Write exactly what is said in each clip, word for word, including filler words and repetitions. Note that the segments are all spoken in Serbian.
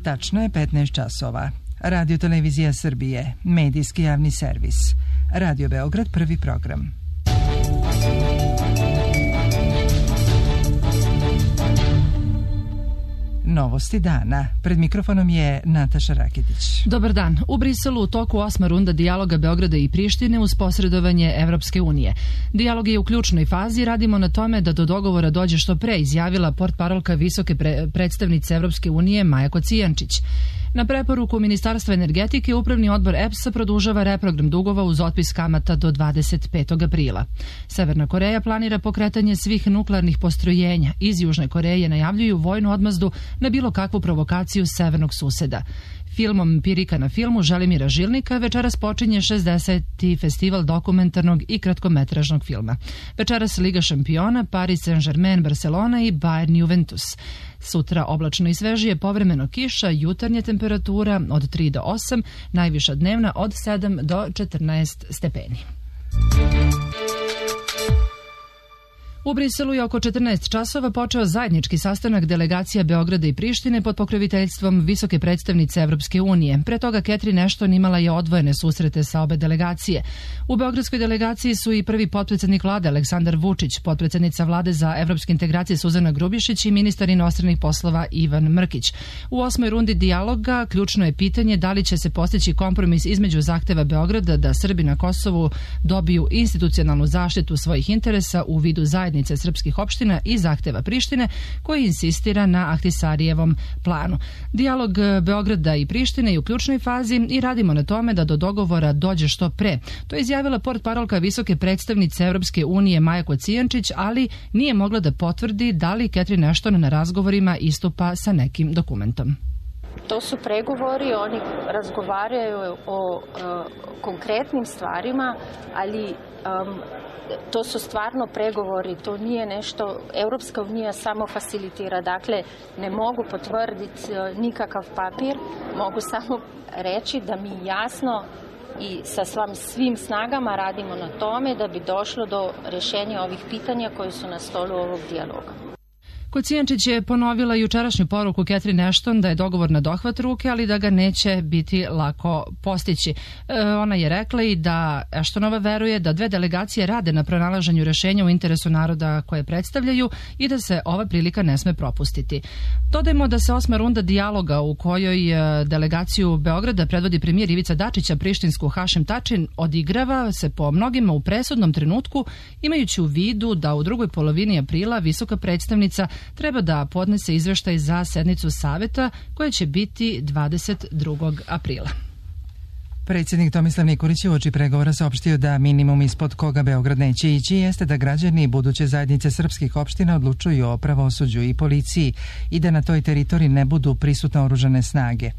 Tačno je petnaest časova. Radio Televizija Srbije, medijski javni servis. Radio Beograd, prvi program. Novosti dana. Pred mikrofonom je Nataša Raketić. Dobar dan. U Briselu u toku osma runda dijaloga Beograda i Prištine uz posredovanje Evropske unije. Dijalog je u ključnoj fazi, radimo na tome da do dogovora dođe što pre, izjavila portparolka visoke pre predstavnice Evropske unije Maja Kocijančić. Na preporuku Ministarstva energetike, Upravni odbor E P S-a produžava reprogram dugova uz otpis kamata do dvadeset petog aprila. Severna Koreja planira pokretanje svih nuklearnih postrojenja. Iz Južne Koreje najavljuju vojnu odmazdu na bilo kakvu provokaciju severnog suseda. Filmom Pirika na filmu Želimira Žilnika večeras počinje šezdeseti festival dokumentarnog i kratkometražnog filma. Večeras Liga šampiona, Paris Saint-Germain, Barcelona i Bayern Juventus. Sutra oblačno i svežije, povremeno kiša, jutarnja temperatura od tri do osam, najviša dnevna od sedam do četrnaest stepeni. U Briselu je oko četrnaest časova počeo zajednički sastanak delegacija Beograda i Prištine pod pokroviteljstvom visoke predstavnice Evropske unije. Pre toga Catherine Ashton imala je odvojene susrete sa obe delegacije. U beogradskoj delegaciji su i prvi potpredsednik vlade Aleksandar Vučić, potpredsednica vlade za evropske integracije Suzana Grubišić i ministar inostranih poslova Ivan Mrkić. U osmoj rundi dijaloga ključno je pitanje da li će se postići kompromis između zahteva Beograda da Srbi na Kosovu dobiju institucionalnu zaštitu svojih interesa u vidu zajednice srpskih opština i zahteva Prištine koji insistira na Ahtisarijevom planu. Dijalog Beograda i Prištine je u ključnoj fazi i radimo na tome da do dogovora dođe što pre. To je izjavila portparolka visoke predstavnice Evropske unije Maja Kocijančić, ali nije mogla da potvrdi da li Catherine Ashton na razgovorima istupa sa nekim dokumentom. To su pregovori, oni razgovaraju o uh, konkretnim stvarima, ali um, to su stvarno pregovori, to nije nešto, Evropska unija samo facilitira, dakle ne mogu potvrditi nikakav papir, mogu samo reći da mi jasno i sa svim snagama radimo na tome da bi došlo do rješenja ovih pitanja koji su na stolu ovog dijaloga. Kocijančić je ponovila jučerašnju poruku Catherine Ashton da je dogovor na dohvat ruke, ali da ga neće biti lako postići. E, ona je rekla i da Ashtonova veruje da dve delegacije rade na pronalaženju rešenja u interesu naroda koje predstavljaju i da se ova prilika ne sme propustiti. Dodajmo da se osma runda dijaloga u kojoj delegaciju Beograda predvodi premijer Ivica Dačić, a prištinsku Hašim Tači odigrava se po mnogima u presudnom trenutku, imajući u vidu da u drugoj polovini aprila visoka predstavnica treba da podnese izveštaj za sednicu Saveta koja će biti dvadeset drugog aprila. Predsjednik Tomislav Nikolić je uoči pregovora saopštio da minimum ispod koga Beograd neće ići jeste da građani buduće zajednice srpskih opština odlučuju o pravosuđu i policiji i da na toj teritoriji ne budu prisutne oružane snage.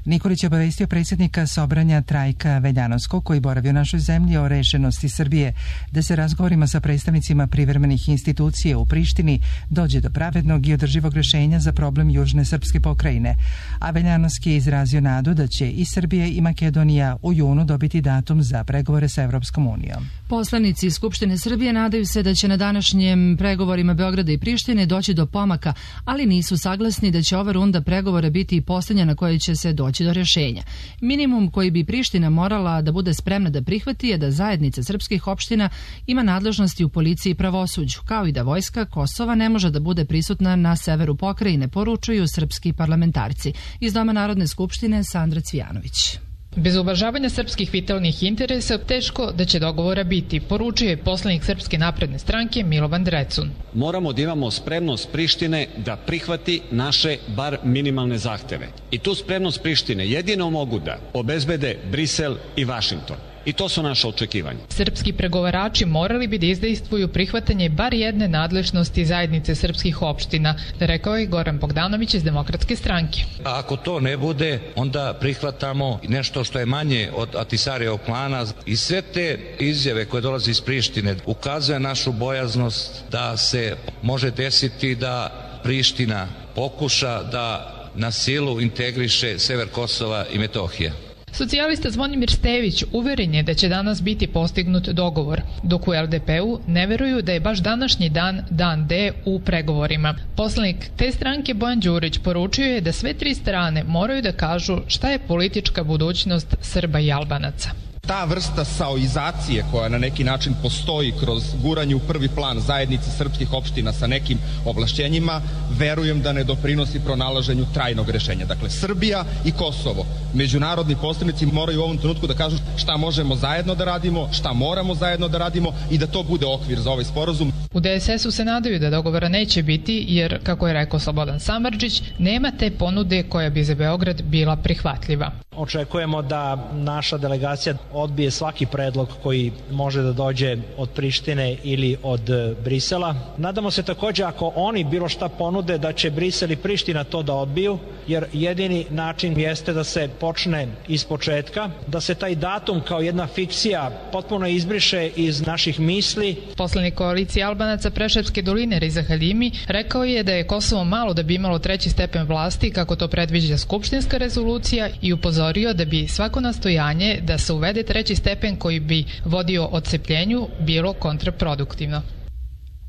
Nikolić je obavestio predsjednika Sobranja Trajka Veljanovskog, koji boravi u našoj zemlji, o rešenosti Srbije da se razgovorima sa predstavnicima privremenih institucija u Prištini dođe do pravednog i održivog rešenja za problem južne srpske pokrajine. A Veljanovski je izrazio nadu da će i Srbija i Makedonija u junu dobiti datum za pregovore sa Evropskom unijom. Poslanici Skupštine Srbije nadaju se da će na današnjem pregovorima Beograda i Prištine doći do pomaka, ali nisu saglasni da će ova runda pregovora biti i posljednja na kojoj će se doći do rješenja. Minimum koji bi Priština morala da bude spremna da prihvati je da zajednica srpskih opština ima nadležnosti u policiji i pravosuđu, kao i da vojska Kosova ne može da bude prisutna na severu pokrajine, poručuju srpski parlamentarci. Iz Doma Narodne skupštine Sandra Cvijanović. Bez uvažavanja srpskih vitalnih interesa teško da će dogovora biti, poručuje poslanik Srpske napredne stranke Milovan Drecun. Moramo da imamo spremnost Prištine da prihvati naše bar minimalne zahteve. I tu spremnost Prištine jedino mogu da obezbede Brisel i Vašington. I to su naše očekivanja. Srpski pregovarači morali bi da izdejstvuju prihvatanje bar jedne nadležnosti zajednice srpskih opština, rekao je Goran Bogdanović iz Demokratske stranke. A ako to ne bude, onda prihvatamo nešto što je manje od Ahtisarijevog plana i sve te izjave koje dolaze iz Prištine ukazuje našu bojaznost da se može desiti da Priština pokuša da na silu integriše sever Kosova i Metohije. Socijalista Zvonimir Stević uveren je da će danas biti postignut dogovor, dok u L D P-u ne veruju da je baš današnji dan dan D u pregovorima. Poslanik te stranke Bojan Đurić poručio je da sve tri strane moraju da kažu šta je politička budućnost Srba i Albanaca. Ta vrsta saoizacije koja na neki način postoji kroz guranje u prvi plan zajednice srpskih opština sa nekim ovlašćenjima, verujem da ne doprinosi pronalaženju trajnog rešenja. Dakle, Srbija i Kosovo, međunarodni posrednici moraju u ovom trenutku da kažu šta možemo zajedno da radimo, šta moramo zajedno da radimo i da to bude okvir za ovaj sporazum. U D S S-u se nadaju da dogovora neće biti jer, kako je rekao Slobodan Samardžić, nema te ponude koja bi za Beograd bila prihvatljiva. Očekujemo da naša delegacija odbije svaki predlog koji može da dođe od Prištine ili od Brisela. Nadamo se takođe ako oni bilo šta ponude da će Brisel i Priština to da odbiju, jer jedini način jeste da se počne iz početka, da se taj datum kao jedna fikcija potpuno izbriše iz naših misli. Poslanik koalicije Albanaca Preševske doline Riza Halimi rekao je da je Kosovo malo da bi imalo treći stepen vlasti kako to predviđa skupštinska rezolucija i upozorio da bi svako nastojanje da se uvede treći stepen koji bi vodio odcepljenju bilo kontraproduktivno.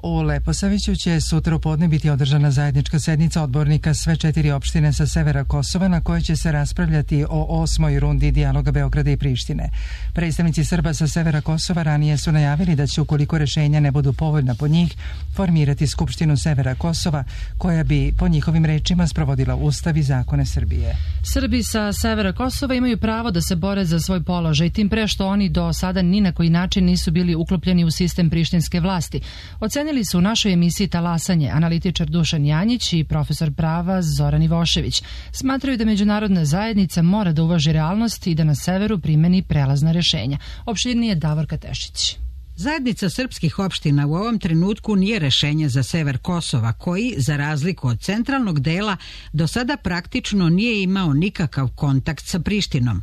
U Leposaviću će sutra u podne biti održana zajednička sednica odbornika sve četiri opštine sa severa Kosova na kojoj će se raspravljati o osmoj rundi dijaloga Beograda i Prištine. Predstavnici Srba sa severa Kosova ranije su najavili da će, ukoliko rešenja ne budu povoljna po njih, formirati Skupštinu severa Kosova koja bi po njihovim rečima sprovodila Ustav i zakone Srbije. Srbi sa severa Kosova imaju pravo da se bore za svoj položaj, tim pre što oni do sada ni na koji način nisu bili uklopljeni u sistem prištinske vlasti. Ocenili su u našoj emisiji Talasanje analitičar Dušan Janjić i profesor prava Zoran Ivošević. Smatraju da međunarodna zajednica mora da uvaži realnost i da na severu primeni prelazna rešenja. Opširnije Davorka Tešić. Zajednica srpskih opština u ovom trenutku nije rešenje za sever Kosova, koji, za razliku od centralnog dela, do sada praktično nije imao nikakav kontakt sa Prištinom.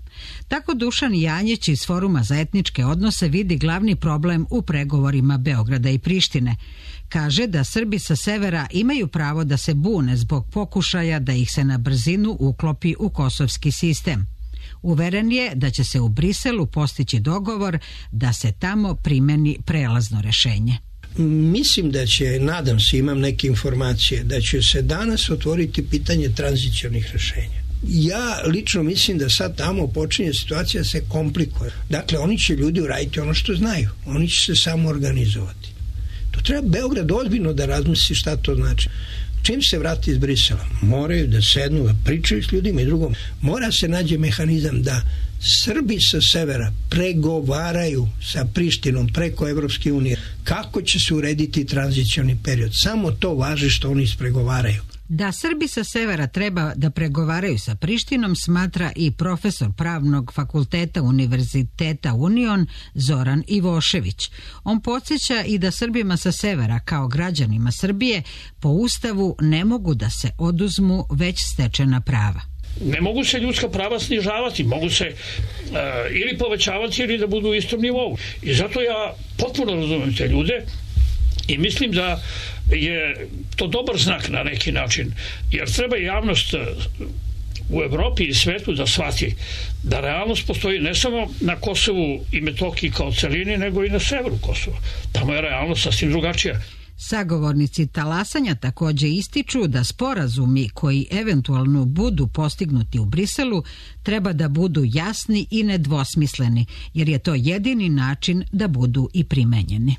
Tako Dušan Janjić iz Foruma za etničke odnose vidi glavni problem u pregovorima Beograda i Prištine. Kaže da Srbi sa severa imaju pravo da se bune zbog pokušaja da ih se na brzinu uklopi u kosovski sistem. Uveren je da će se u Briselu postići dogovor da se tamo primeni prelazno rešenje. Mislim da će, nadam se, imam neke informacije, da će se danas otvoriti pitanje tranzicionih rešenja. Ja lično mislim da sad tamo počinje situacija se komplikuje. Dakle, oni će ljudi uraditi ono što znaju. Oni će se samo organizovati. To treba Beograd ozbiljno da razmisli šta to znači. Čim se vrati iz Brisela, moraju da sednu, da pričaju s ljudima i drugom. Mora se nađe mehanizam da Srbi sa severa pregovaraju sa Prištinom preko Evropske unije. Kako će se urediti tranzicioni period? Samo to važi što oni ispregovaraju. Da Srbi sa severa treba da pregovaraju sa Prištinom smatra i profesor Pravnog fakulteta Univerziteta Union Zoran Ivošević. On podsjeća i da Srbima sa severa kao građanima Srbije po Ustavu ne mogu da se oduzmu već stečena prava. Ne mogu se ljudska prava snižavati, mogu se uh, ili povećavati ili da budu u istom nivou. I zato ja potpuno razumem te ljude i mislim da je to dobar znak na neki način, jer treba javnost u Evropi i svetu da shvati da realnost postoji ne samo na Kosovu i Metohiji kao celini, nego i na severu Kosova. Tamo je realnost sasvim drugačija. Sagovornici talasanja takođe ističu da sporazumi koji eventualno budu postignuti u Briselu treba da budu jasni i nedvosmisleni, jer je to jedini način da budu i primenjeni.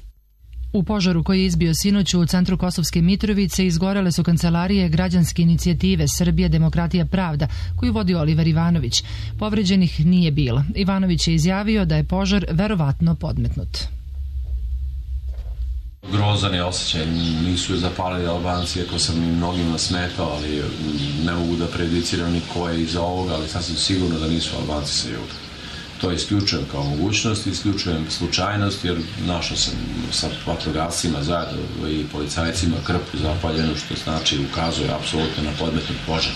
U požaru koji je izbio sinoć u centru Kosovske Mitrovice izgorele su kancelarije građanske inicijative Srbija, demokratija, pravda, koju vodi Oliver Ivanović. Povređenih nije bilo. Ivanović je izjavio da je požar verovatno podmetnut. Grozan je osjećaj, nisu je zapalili Albanci, ako sam im mnogima smetao, ali ne mogu da prejudiciram ni ko je iza ovoga, ali sasvim sigurno da nisu Albanci sa juga. To isključujem kao mogućnost, isključujem slučajnost, jer našao sam sa vatrogascima zajedno i policajcima krpu zapaljenu, što znači ukazuje apsolutno na podmetnut požar.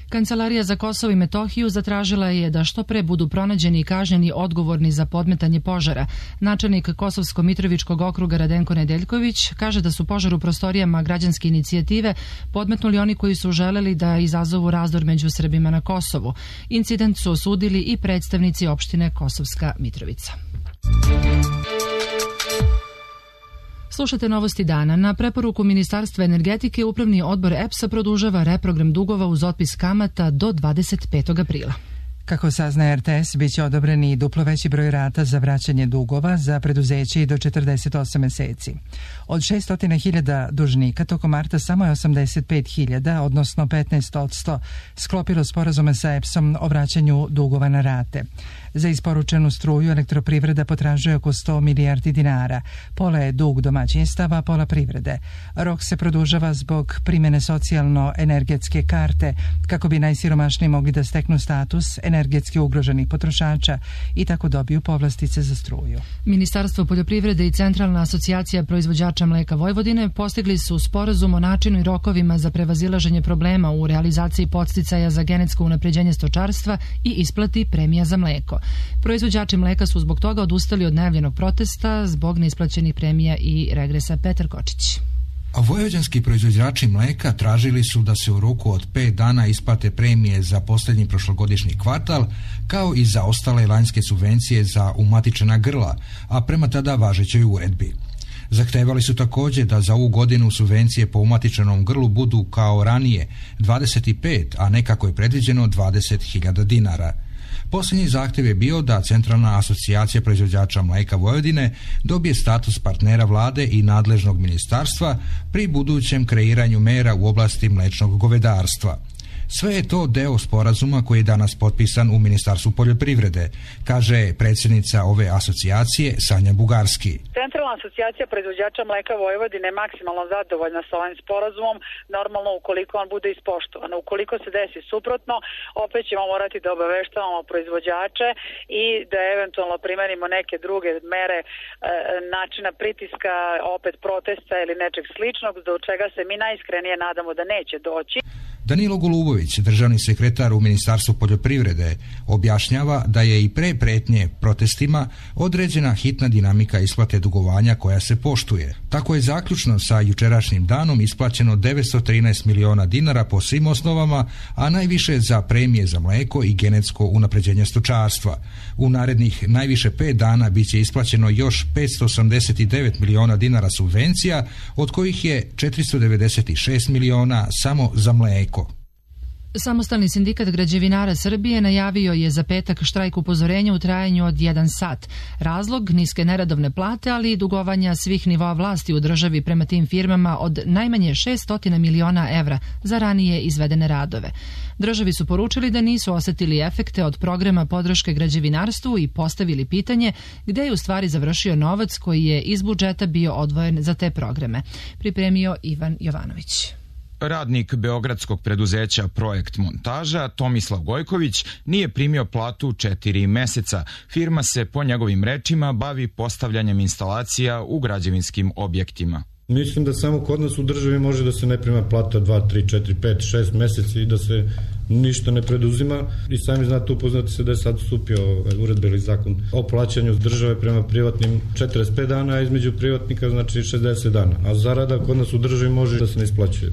Kancelarija za Kosovo i Metohiju zatražila je da što pre budu pronađeni i kažnjeni odgovorni za podmetanje požara. Načelnik Kosovsko-Mitrovičkog okruga Radenko Nedeljković kaže da su požar u prostorijama građanske inicijative podmetnuli oni koji su želeli da izazovu razdor među Srbima na Kosovu. Incident su osudili i predstavnici opštine Kosovska Mitrovica. Slušate novosti dana. Na preporuku Ministarstva energetike Upravni odbor E P S-a produžava reprogram dugova uz otpis kamata do dvadeset petog aprila. Kako saznaje R T S, bit će odobreni duplo veći broj rata za vraćanje dugova za preduzeće i do četrdeset osam meseci. Od šesto hiljada dužnika tokom marta samo je osamdeset pet hiljada, odnosno petnaest posto, sklopilo sporazume sa E P S-om o vraćanju dugova na rate. Za isporučenu struju elektroprivreda potražuje oko sto milijardi dinara. Pola je dug domaćinstava, pola privrede. Rok se produžava zbog primjene socijalno-energetske karte kako bi najsiromašniji mogli da steknu status energetski ugroženih potrošača i tako dobiju povlastice za struju. Ministarstvo poljoprivrede i Centralna asocijacija proizvođača mleka Vojvodine postigli su sporazum o načinu i rokovima za prevazilaženje problema u realizaciji podsticaja za genetsko unapređenje stočarstva i isplati premija za mleko. Proizvođači mleka su zbog toga odustali od najavljenog protesta zbog neisplaćenih premija i regresa. Petar Kočić. A vojvođanski proizvođači mleka tražili su da se u roku od pet dana isplate premije za posljednji prošlogodišnji kvartal, kao i za ostale lanjske subvencije za umatičena grla, a prema tada važećoj uredbi. Zahtevali su također da za ovu godinu subvencije po umatičenom grlu budu kao ranije dvadeset pet, a ne kako je predviđeno dvadeset hiljada dinara. Posljednji zahtjev je bio da Centralna asocijacija proizvođača mleka Vojvodine dobije status partnera vlade i nadležnog ministarstva pri budućem kreiranju mera u oblasti mlečnog govedarstva. Sve je to deo sporazuma koji je danas potpisan u Ministarstvu poljoprivrede, kaže predsjednica ove asocijacije Sanja Bugarski. Centralna asocijacija proizvođača mleka Vojvodine je maksimalno zadovoljna sa ovim sporazumom, normalno ukoliko on bude ispoštovan. Ukoliko se desi suprotno, opet ćemo morati da obaveštavamo proizvođače i da eventualno primenimo neke druge mere e, načina pritiska, opet protesta ili nečeg sličnog, do čega se mi najiskrenije nadamo da neće doći. Danilo Golubović, državni sekretar u Ministarstvu poljoprivrede, objašnjava da je i pre pretnje protestima određena hitna dinamika isplate dugovanja koja se poštuje. Tako je zaključno sa jučerašnjim danom isplaćeno devetsto trinaest miliona dinara po svim osnovama, a najviše za premije za mleko i genetsko unapređenje stočarstva. U narednih najviše pet dana bit će isplaćeno još petsto osamdeset devet miliona dinara subvencija, od kojih je četiristo devedeset šest miliona samo za mleko. Samostalni sindikat građevinara Srbije najavio je za petak štrajk upozorenja u trajanju od jedan sat. Razlog niske neradovne plate, ali i dugovanja svih nivoa vlasti u državi prema tim firmama od najmanje šesto miliona evra za ranije izvedene radove. Državi su poručili da nisu osetili efekte od programa podrške građevinarstvu i postavili pitanje gde je u stvari završio novac koji je iz budžeta bio odvojen za te programe. Pripremio Ivan Jovanović. Radnik beogradskog preduzeća Projekt montaža Tomislav Gojković nije primio platu četiri meseca. Firma se po njegovim rečima bavi postavljanjem instalacija u građevinskim objektima. Mislim da samo kod nas u državi može da se ne prima plata dva, tri, četiri, pet, šest meseci i da se ništa ne preduzima. I sami znate, upoznati se da je sad stupio uredba ili zakon o plaćanju države prema privatnim četrdeset pet dana, a između privatnika znači šezdeset dana. A zarada kod nas u državi može da se ne isplaćuje.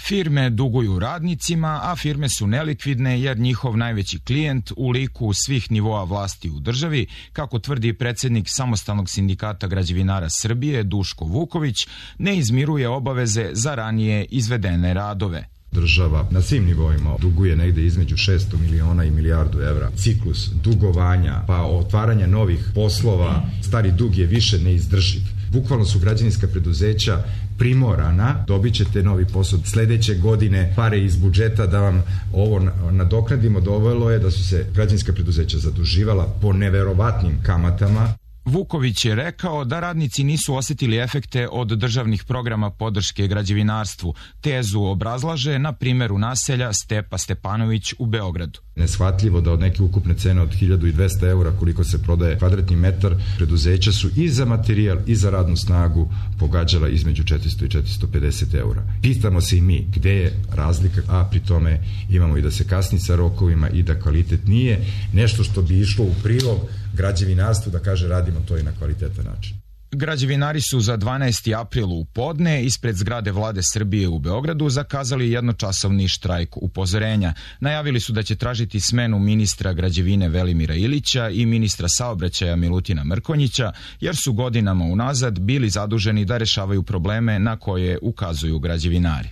Firme duguju radnicima, a firme su nelikvidne jer njihov najveći klijent u liku svih nivoa vlasti u državi, kako tvrdi predsjednik Samostalnog sindikata građevinara Srbije Duško Vuković, ne izmiruje obaveze za ranije izvedene radove. Država na svim nivoima duguje negde između šesto miliona i milijardu evra. Ciklus dugovanja pa otvaranja novih poslova, stari dug je više neizdrživ. Bukvalno su građevinska preduzeća primorana, dobit ćete novi posao sledeće godine, pare iz budžeta da vam ovo nadoknadimo. Dovelo je da su se građevinska preduzeća zaduživala po neverovatnim kamatama. Vuković je rekao da radnici nisu osjetili efekte od državnih programa podrške građevinarstvu. Tezu obrazlaže na primjeru naselja Stepa Stepanović u Beogradu. Neshvatljivo da od neke ukupne cene od hiljadu dvesta eura koliko se prodaje kvadratni metar, preduzeća su i za materijal i za radnu snagu pogađala između četiristo i četiristo pedeset eura. Pitamo se i mi gde je razlika, a pri tome imamo i da se kasni sa rokovima i da kvalitet nije nešto što bi išlo u prilog građevinarstvu da kaže radimo to i na kvalitetan način. Građevinari su za dvanaesti april u podne ispred zgrade Vlade Srbije u Beogradu zakazali jednočasovni štrajk upozorenja. Najavili su da će tražiti smenu ministra građevine Velimira Ilića i ministra saobraćaja Milutina Mrkonjića, jer su godinama unazad bili zaduženi da rešavaju probleme na koje ukazuju građevinari.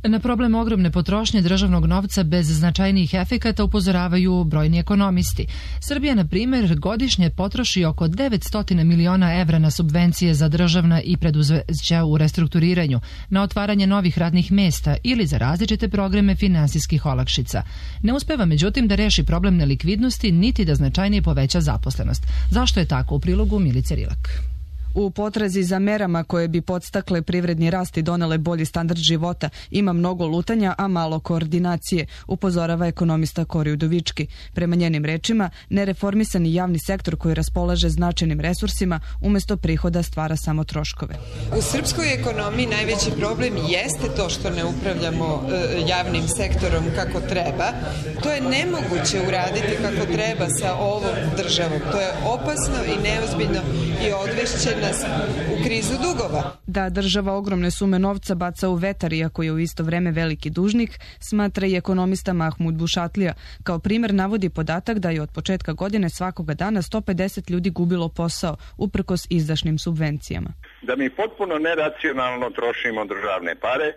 Na problem ogromne potrošnje državnog novca bez značajnijih efekata upozoravaju brojni ekonomisti. Srbija, na primjer, godišnje potroši oko devetsto miliona evra na subvencije za državna i preduzeća u restrukturiranju, na otvaranje novih radnih mesta ili za različite programe finansijskih olakšica. Ne uspeva, međutim, da reši problem nelikvidnosti niti da značajnije poveća zaposlenost. Zašto je tako? U prilogu Milice Rilak. U potrazi za merama koje bi podstakle privredni rast i donele bolji standard života ima mnogo lutanja, a malo koordinacije, upozorava ekonomista Kori Udovički. Prema njenim rečima, nereformisani javni sektor koji raspolaže značajnim resursima umjesto prihoda stvara samo troškove. U srpskoj ekonomiji najveći problem jeste to što ne upravljamo e, javnim sektorom kako treba. To je nemoguće uraditi kako treba sa ovom državom. To je opasno i neozbiljno i odvešće nas u krizu dugova. Da država ogromne sume novca baca u vetar, iako je u isto vreme veliki dužnik, smatra i ekonomista Mahmud Bušatlija. Kao primjer navodi podatak da je od početka godine svakoga dana sto pedeset ljudi gubilo posao, uprkos izdašnim subvencijama. Da mi potpuno neracionalno trošimo državne pare,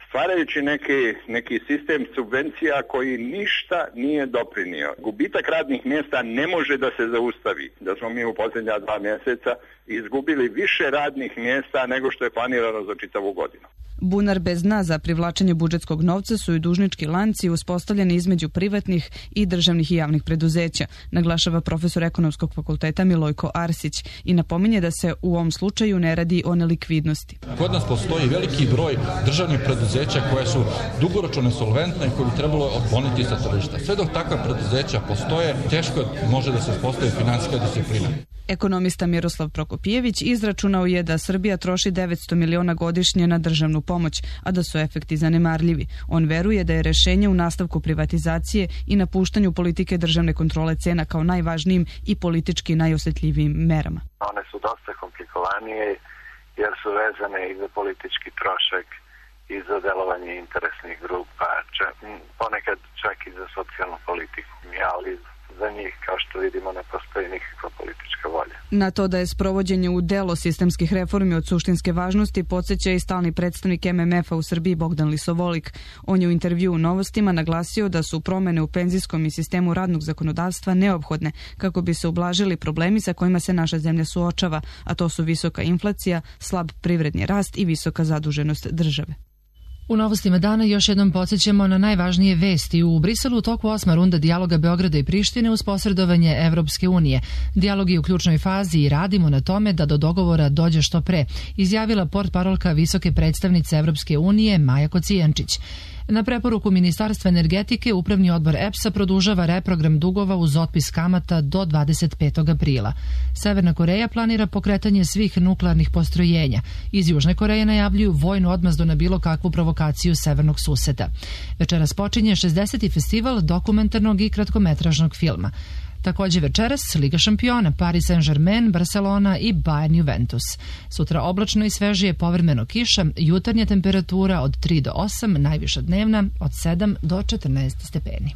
stvarajući neki, neki sistem subvencija koji ništa nije doprinio. Gubitak radnih mjesta ne može da se zaustavi. Da smo mi u posljednja dva mjeseca izgubili više radnih mjesta nego što je planirano za čitavu godinu. Bunar bez dna za privlačenje budžetskog novca su i dužnički lanci uspostavljeni između privatnih i državnih i javnih preduzeća, naglašava profesor ekonomskog fakulteta Milojko Arsić i napominje da se u ovom slučaju ne radi o nelikvidnosti. Kod nas postoji veliki broj državnih preduzeća koje su dugoročno nesolventne i koje bi trebalo otkloniti sa tržišta. Sve dok takva preduzeća postoje, teško može da se uspostavi finansijska disciplina. Ekonomista Miroslav Prokopijević izračunao je da Srbija troši devetsto miliona godišnje na državnu pomoć, a da su efekti zanemarljivi. On veruje da je rešenje u nastavku privatizacije i napuštanju politike državne kontrole cena kao najvažnijim i politički najosjetljivijim merama. One su dosta komplikovanije jer su vezane i za politički trošak i za delovanje interesnih grupa, čak, ponekad čak i za socijalnu politiku, ali za njih, kao što vidimo, ne postoji nikakva politička volja. Na to da je sprovođenje u delo sistemskih reformi od suštinske važnosti podsjeća i stalni predstavnik M M F-a u Srbiji Bogdan Lisovolik. On je u intervju u Novostima naglasio da su promene u penzijskom i sistemu radnog zakonodavstva neophodne kako bi se ublažili problemi sa kojima se naša zemlja suočava, a to su visoka inflacija, slab privredni rast i visoka zaduženost države. U Novostima dana još jednom podsjećamo na najvažnije vesti. U Briselu u toku osma runda dijaloga Beograda i Prištine uz posredovanje Evropske unije. Dijalog je u ključnoj fazi i radimo na tome da do dogovora dođe što pre, izjavila portparolka visoke predstavnice Evropske unije Maja Kocijančić. Na preporuku Ministarstva energetike, Upravni odbor E P S-a produžava reprogram dugova uz otpis kamata do dvadeset petog aprila. Severna Koreja planira pokretanje svih nuklearnih postrojenja. Iz Južne Koreje najavljuju vojnu odmazdu na bilo kakvu provokaciju severnog suseda. Večeras počinje šezdeseti festival dokumentarnog i kratkometražnog filma. Također večeras Liga šampiona, Paris Saint-Germain, Barcelona i Bayern Juventus. Sutra oblačno i svežije, povremeno kiša, jutarnja temperatura od tri do osam, najviša dnevna od sedam do četrnaest stepeni.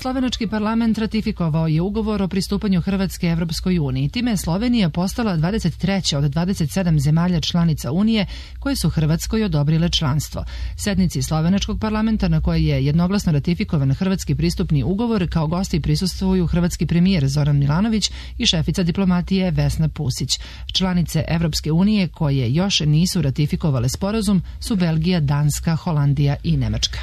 Slovenački parlament ratifikovao je ugovor o pristupanju Hrvatske Evropskoj uniji. Time je Slovenija postala dvadeset treća od dvadeset sedam zemalja članica Unije koje su Hrvatskoj odobrile članstvo. Sednici Slovenačkog parlamenta na kojoj je jednoglasno ratifikovan hrvatski pristupni ugovor kao gosti prisustvuju hrvatski premijer Zoran Milanović i šefica diplomatije Vesna Pusić. Članice Evropske unije koje još nisu ratifikovale sporazum su Belgija, Danska, Holandija i Nemačka.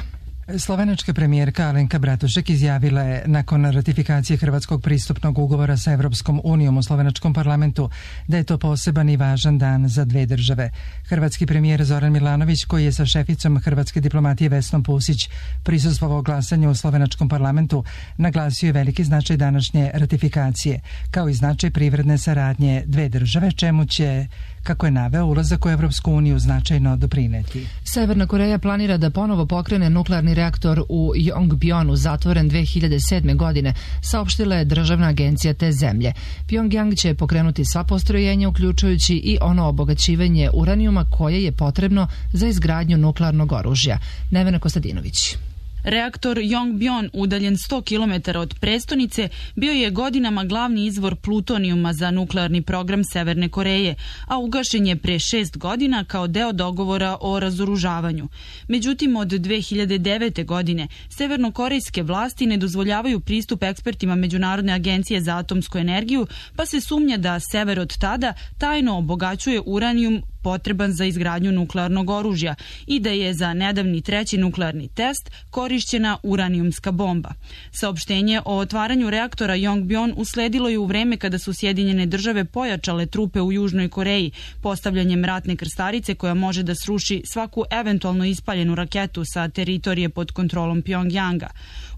Slovenačka premijerka Alenka Bratušek izjavila je nakon ratifikacije Hrvatskog pristupnog ugovora sa Evropskom unijom u slovenačkom parlamentu da je to poseban i važan dan za dve države. Hrvatski premijer Zoran Milanović, koji je sa šeficom hrvatske diplomatije Vesnom Pusić prisustvovao glasanju u slovenačkom parlamentu, naglasio je veliki značaj današnje ratifikacije, kao i značaj privredne saradnje dve države, čemu će, kako je naveo, ulazak u Evropsku uniju značajno doprineti. Severna Koreja planira da ponovo pokrene nuklearni reaktor u Yongbyon, zatvoren dve hiljade sedme. godine, saopštila je državna agencija te zemlje. Pyongyang će pokrenuti sva postrojenja, uključujući i ono obogaćivanje uranijuma koje je potrebno za izgradnju nuklearnog oružja. Nevena Kostadinović. Reaktor Yongbyon, udaljen sto kilometara od prestonice, bio je godinama glavni izvor plutonijuma za nuklearni program Severne Koreje, a ugašen je pre šest godina kao deo dogovora o razoružavanju. Međutim, od dve hiljade devete. godine severnokorejske vlasti ne dozvoljavaju pristup ekspertima Međunarodne agencije za atomsku energiju, pa se sumnja da sever od tada tajno obogaćuje uranijum potreban za izgradnju nuklearnog oružja i da je za nedavni treći nuklearni test korišćena uranijumska bomba. Saopštenje o otvaranju reaktora Yongbyon usledilo je u vreme kada su Sjedinjene države pojačale trupe u Južnoj Koreji, postavljanjem ratne krstarice koja može da sruši svaku eventualno ispaljenu raketu sa teritorije pod kontrolom Pyongyanga.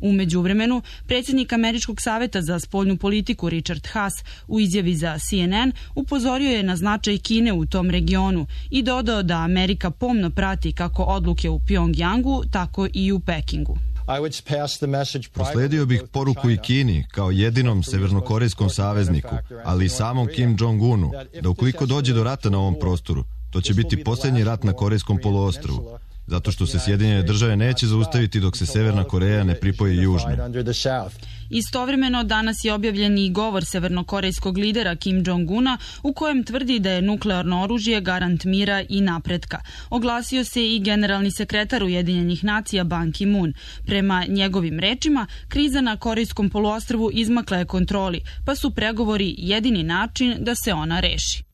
U međuvremenu, predsjednik Američkog saveta za spoljnu politiku Richard Haas u izjavi za C N N upozorio je na značaj Kine u tom regionu i dodao da Amerika pomno prati kako odluke u Pyongyangu, tako i u Pekingu. Prosledio bih poruku i Kini kao jedinom severnokorejskom savezniku, ali i samom Kim Jong-unu, da ukoliko dođe do rata na ovom prostoru, to će biti posljednji rat na Korejskom poluostrvu, zato što se Sjedinjene države neće zaustaviti dok se Severna Koreja ne pripoji Južnoj. Istovremeno, danas je objavljen i govor severnokorejskog lidera Kim Jong-una u kojem tvrdi da je nuklearno oružje garant mira i napretka. Oglasio se i generalni sekretar Ujedinjenih nacija Ban Ki-moon. Prema njegovim rečima, kriza na Korejskom poluostrvu izmakla je kontroli, pa su pregovori jedini način da se ona reši.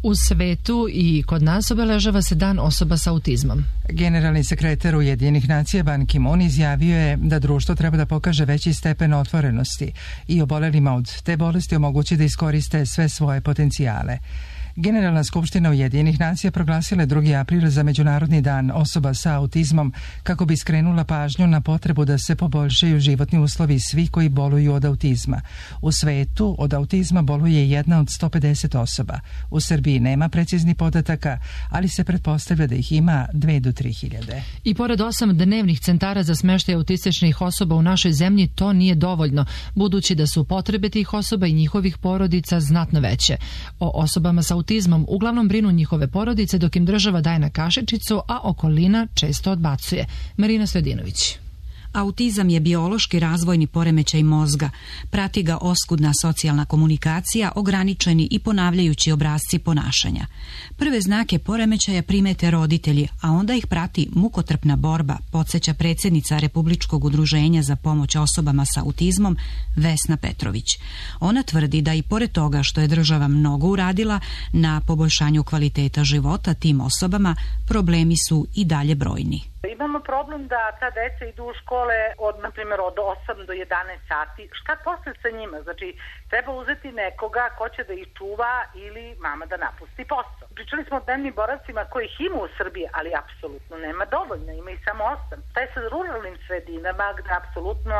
U svetu i kod nas obeležava se dan osoba sa autizmom. Generalni sekretar Ujedinjenih nacija Ban Ki-moon izjavio je da društvo treba da pokaže veći stepen otvorenosti i obolelima od te bolesti omogući da iskoriste sve svoje potencijale. Generalna skupština Ujedinjenih nacija proglasila je drugi april za Međunarodni dan osoba sa autizmom kako bi skrenula pažnju na potrebu da se poboljšaju životni uslovi svih koji boluju od autizma. U svetu od autizma boluje jedna od sto pedeset osoba. U Srbiji nema preciznih podataka, ali se pretpostavlja da ih ima dve do tri hiljade. I pored osam dnevnih centara za smeštaj autističnih osoba u našoj zemlji, to nije dovoljno, budući da su potrebe tih osoba i njihovih porodica znatno veće. O osobama sa autizmom uglavnom brinu njihove porodice, dok im država daje na kašičicu, a okolina često odbacuje. Marina Sledinović. Autizam je biološki razvojni poremećaj mozga. Prati ga oskudna socijalna komunikacija, ograničeni i ponavljajući obrasci ponašanja. Prve znake poremećaja primete roditelji, a onda ih prati mukotrpna borba, podsjeća predsjednica Republičkog udruženja za pomoć osobama sa autizmom Vesna Petrović. Ona tvrdi da i pored toga što je država mnogo uradila na poboljšanju kvaliteta života tim osobama, problemi su i dalje brojni. Imamo problem da ta deca idu u škole od, na primjer, od osam do jedanaest sati. Šta posle sa njima? Znači, treba uzeti nekoga ko će da ih čuva ili mama da napusti posao. Pričali smo o dnevnim boravcima kojih ima u Srbiji, ali apsolutno nema dovoljno, ima ih samo osam. Taj sa ruralnim sredinama gde apsolutno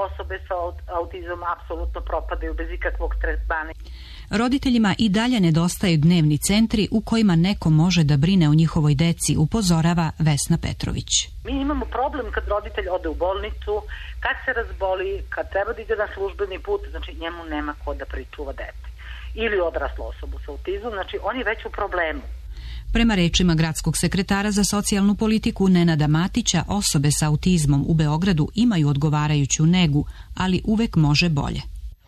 osobe sa autizmom apsolutno propadaju bez ikakvog tretmana. Roditeljima i dalje nedostaju dnevni centri u kojima neko može da brine o njihovoj deci, upozorava Vesna Petrović. Mi imamo problem kad roditelj ode u bolnicu, kad se razboli, kad treba da ide na službeni put, znači njemu nema ko da pričuva dete. Ili odraslu osobu sa autizmom, znači on je već u problemu. Prema rečima gradskog sekretara za socijalnu politiku Nenada Matića, osobe sa autizmom u Beogradu imaju odgovarajuću negu, ali uvek može bolje.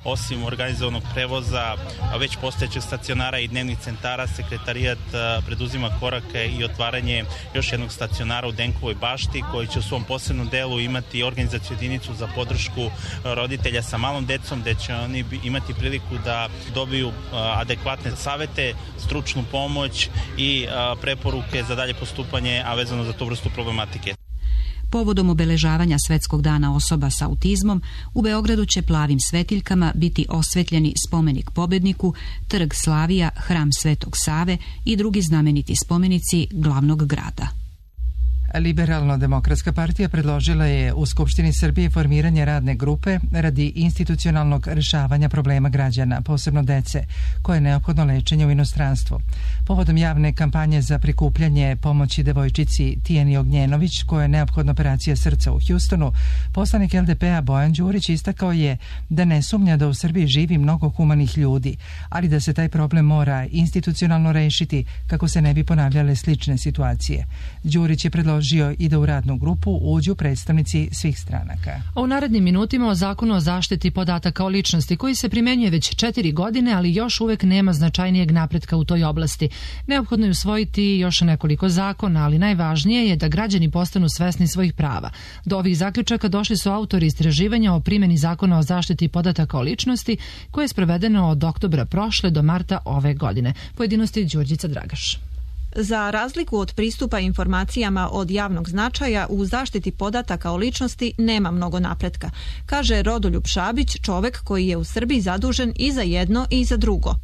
Osim organizovanog prevoza, već postojećeg stacionara i dnevnih centara, sekretarijat preduzima korake i otvaranje još jednog stacionara u Denkovoj bašti, koji će u svom posebnom delu imati organizaciju jedinicu za podršku roditelja sa malom decom, gde će oni imati priliku da dobiju adekvatne savete, stručnu pomoć i preporuke za dalje postupanje, a vezano za tu vrstu problematike. Povodom obeležavanja Svetskog dana osoba sa autizmom, u Beogradu će plavim svetiljkama biti osvetljeni spomenik pobedniku, trg Slavija, hram Svetog Save i drugi znameniti spomenici glavnog grada. Liberalno-demokratska partija predložila je u Skupštini Srbije formiranje radne grupe radi institucionalnog rešavanja problema građana, posebno dece, koje je neophodno lečenje u inostranstvu. Povodom javne kampanje za prikupljanje pomoći devojčici Tijeni Ognjenović, koja je neophodna operacija srca u Hjustonu, poslanik L D P-a Bojan Đurić istakao je da ne sumnja da u Srbiji živi mnogo humanih ljudi, ali da se taj problem mora institucionalno rešiti kako se ne bi ponavljale slične situacije. Đurić je predložio i da u radnu grupu uđu predstavnici svih stranaka. A u narednim minutima o zakonu o zaštiti podataka o ličnosti, koji se primenjuje već četiri godine, ali još uvek nema značajnijeg napretka u toj oblasti. Neophodno je usvojiti još nekoliko zakona, ali najvažnije je da građani postanu svesni svojih prava. Do ovih zaključaka došli su autori istraživanja o primjeni zakona o zaštiti podataka o ličnosti, koje je sprovedeno od oktobra prošle do marta ove godine. Pojedinosti Đurđica Dragaš. Za razliku od pristupa informacijama od javnog značaja, u zaštiti podataka o ličnosti nema mnogo napretka, kaže Rodoljub Šabić, čovek koji je u Srbiji zadužen i za jedno i za drugo.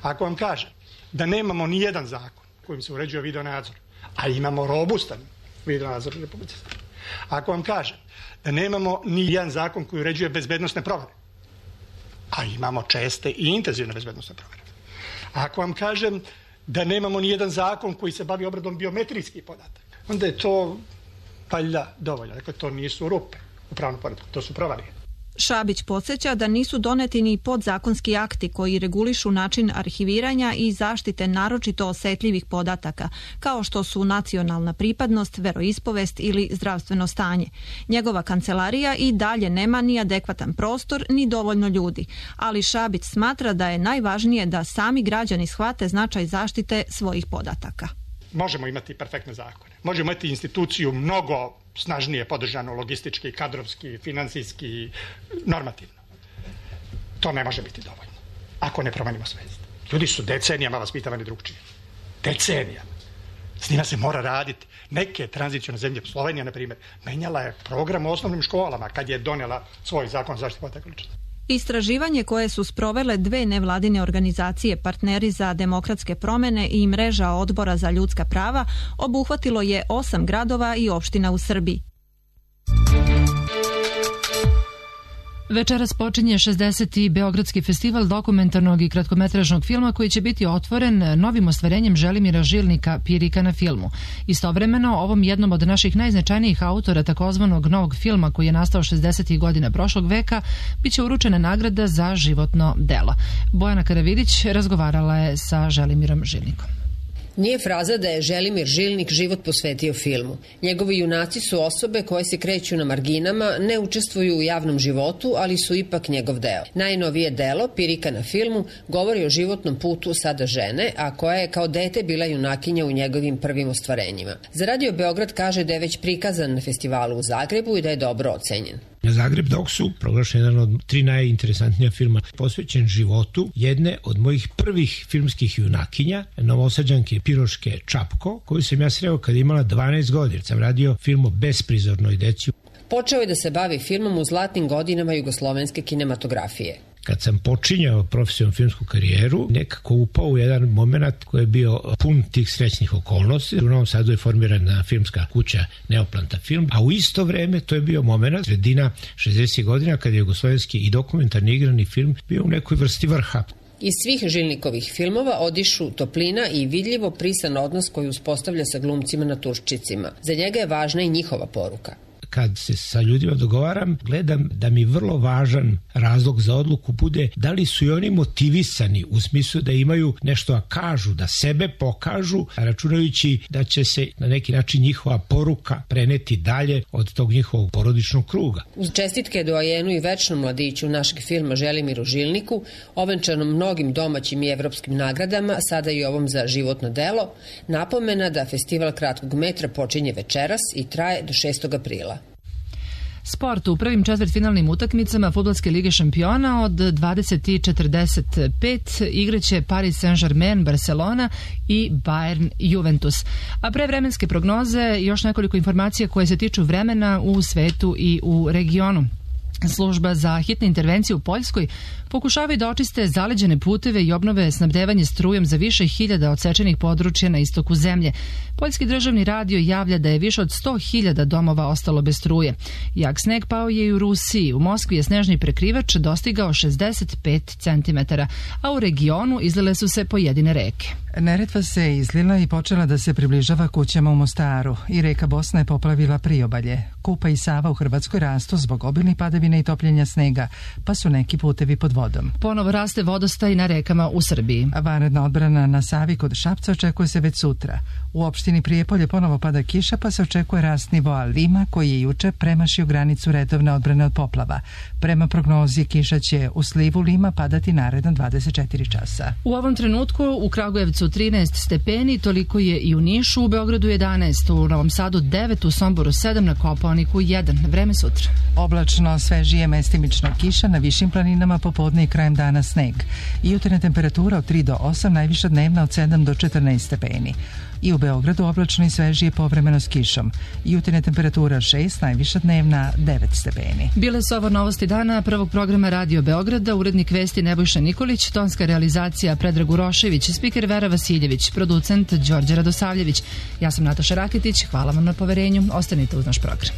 Ako vam kažem da nemamo ni jedan zakon kojim se uređuje videonadzor, a imamo robustan videonadzor u Republici Srbiji, ako vam kažem da nemamo ni jedan zakon koji uređuje bezbednosne provere, a imamo česte i intenzivne bezbednosne provere, ako vam kažem da nemamo ni jedan zakon koji se bavi obradom biometrijskih podataka, onda je to valjda dovoljno. Dakle, to nisu rupe u pravnom poretku, to su provalije. Šabić podsjeća da nisu doneti ni podzakonski akti koji regulišu način arhiviranja i zaštite naročito osetljivih podataka, kao što su nacionalna pripadnost, veroispovest ili zdravstveno stanje. Njegova kancelarija i dalje nema ni adekvatan prostor, ni dovoljno ljudi, ali Šabić smatra da je najvažnije da sami građani shvate značaj zaštite svojih podataka. Možemo imati perfektne zakone, možemo imati instituciju mnogo snažnije podržano logistički, kadrovski, finansijski, normativno. To ne može biti dovoljno ako ne promenimo svest. Ljudi su decenijama vaspitavani drugčije. Decenijama. S njima se mora raditi. Neke tranzicijone zemlje, Slovenija na primjer, menjala je program u osnovnim školama kad je donijela svoj zakon o zaštiti podataka o ličnosti. Istraživanje koje su sprovele dve nevladine organizacije Partneri za demokratske promene i Mreža odbora za ljudska prava obuhvatilo je osam gradova i opština u Srbiji. Večeras počinje šezdeseti Beogradski festival dokumentarnog i kratkometražnog filma koji će biti otvoren novim ostvarenjem Želimira Žilnika Pirika na filmu. Istovremeno, ovom jednom od naših najznačajnijih autora takozvanog novog filma koji je nastao šezdesetih godina prošlog veka, biće uručena nagrada za životno delo. Bojana Karavidić razgovarala je sa Želimirom Žilnikom. Nije fraza da je Želimir Žilnik život posvetio filmu. Njegovi junaci su osobe koje se kreću na marginama, ne učestvuju u javnom životu, ali su ipak njegov deo. Najnovije delo, Pirika na filmu, govori o životnom putu sada žene, a koja je kao dete bila junakinja u njegovim prvim ostvarenjima. Za Radio Beograd kaže da je već prikazan na festivalu u Zagrebu i da je dobro ocenjen. Na Zagreb Doksu proglašen jedan od tri najinteresantnija filma posvećen životu jedne od mojih prvih filmskih junakinja, Novosađanke Piroške Čapko, koju sam ja sreo kad imala dvanaest godina. Sam radio film o besprizornoj deci. Počeo je da se bavi filmom u zlatnim godinama jugoslovenske kinematografije. Kad sam počinjao profesionalnu filmsku karijeru, nekako upao u jedan moment koji je bio pun tih srećnih okolnosti. U Novom Sadu je formirana filmska kuća Neoplanta film, a u isto vreme to je bio moment sredina šezdesetih godina kad je jugoslovenski i dokumentarni igrani film bio u nekoj vrsti vrha. Iz svih Žilnikovih filmova odišu toplina i vidljivo prisan odnos koji uspostavlja sa glumcima na Turščicima. Za njega je važna i njihova poruka. Kad se sa ljudima dogovaram, gledam da mi vrlo važan razlog za odluku bude da li su i oni motivisani u smislu da imaju nešto da kažu, da sebe pokažu, računajući da će se na neki način njihova poruka preneti dalje od tog njihovog porodičnog kruga. Uz čestitke doajenu i večnom mladiću našeg filma Želimiru Žilniku, ovenčanom mnogim domaćim i evropskim nagradama, sada i ovom za životno delo, napomena da festival kratkog metra počinje večeras i traje do šestog aprila. Sport u prvim četvrtfinalnim utakmicama Fudbalske lige šampiona od dvadeset i četrdeset pet igraće Paris Saint-Germain, Barcelona i Bayern Juventus. A pre vremenske prognoze još nekoliko informacija koje se tiču vremena u svetu i u regionu. Služba za hitne intervencije u Poljskoj pokušavaju da očiste zaleđene puteve i obnove snabdevanje strujem za više hiljada odsečenih područja na istoku zemlje. Poljski državni radio javlja da je više od sto hiljada domova ostalo bez struje. Jak sneg pao je i u Rusiji. U Moskvi je snežni prekrivač dostigao šezdeset pet centimetara, a u regionu izlile su se pojedine reke. Neretva se izlila i počela da se približava kućama u Mostaru i reka Bosna je poplavila priobalje. Kupa i Sava u Hrvatskoj rastu zbog obilnih padavina i topljenja snega, pa su neki putevi pod vodom. Ponovo raste vodostaj na rekama u Srbiji. Vanredna odbrana na Savi kod Šapca očekuje se već sutra. U opštini Prijepolje ponovo pada kiša, pa se očekuje rast nivoa Lima, koji je juče premašio granicu redovne odbrane od poplava. Prema prognozi kiša će u slivu Lima padati naredna dvadeset četiri časa. U ovom trenutku u Kragujevcu trinaest stepeni, toliko je i u Nišu, u Beogradu jedanaest, u Novom Sadu devet, u Somboru sedam, na Kopaoniku jedan. Vreme sutra. Oblačno, svežije, mestimično kiša, na višim planinama popodne i krajem dana sneg. Jutarnja temperatura od tri do osam, najviša dnevna od sedam do četrnaest stepeni. I u Beogradu oblačno i svežije, povremeno s kišom. Jutarnja temperatura šest, najviša dnevna devet stepeni. Bile su ovo novosti dana prvog programa Radio Beograda, urednik vesti Nebojša Nikolić, tonska realizacija Predrag Urošević, spiker Vera Vasiljević, producent Đorđe Radosavljević. Ja sam Nataša Raketić, hvala vam na poverenju, ostanite uz naš program.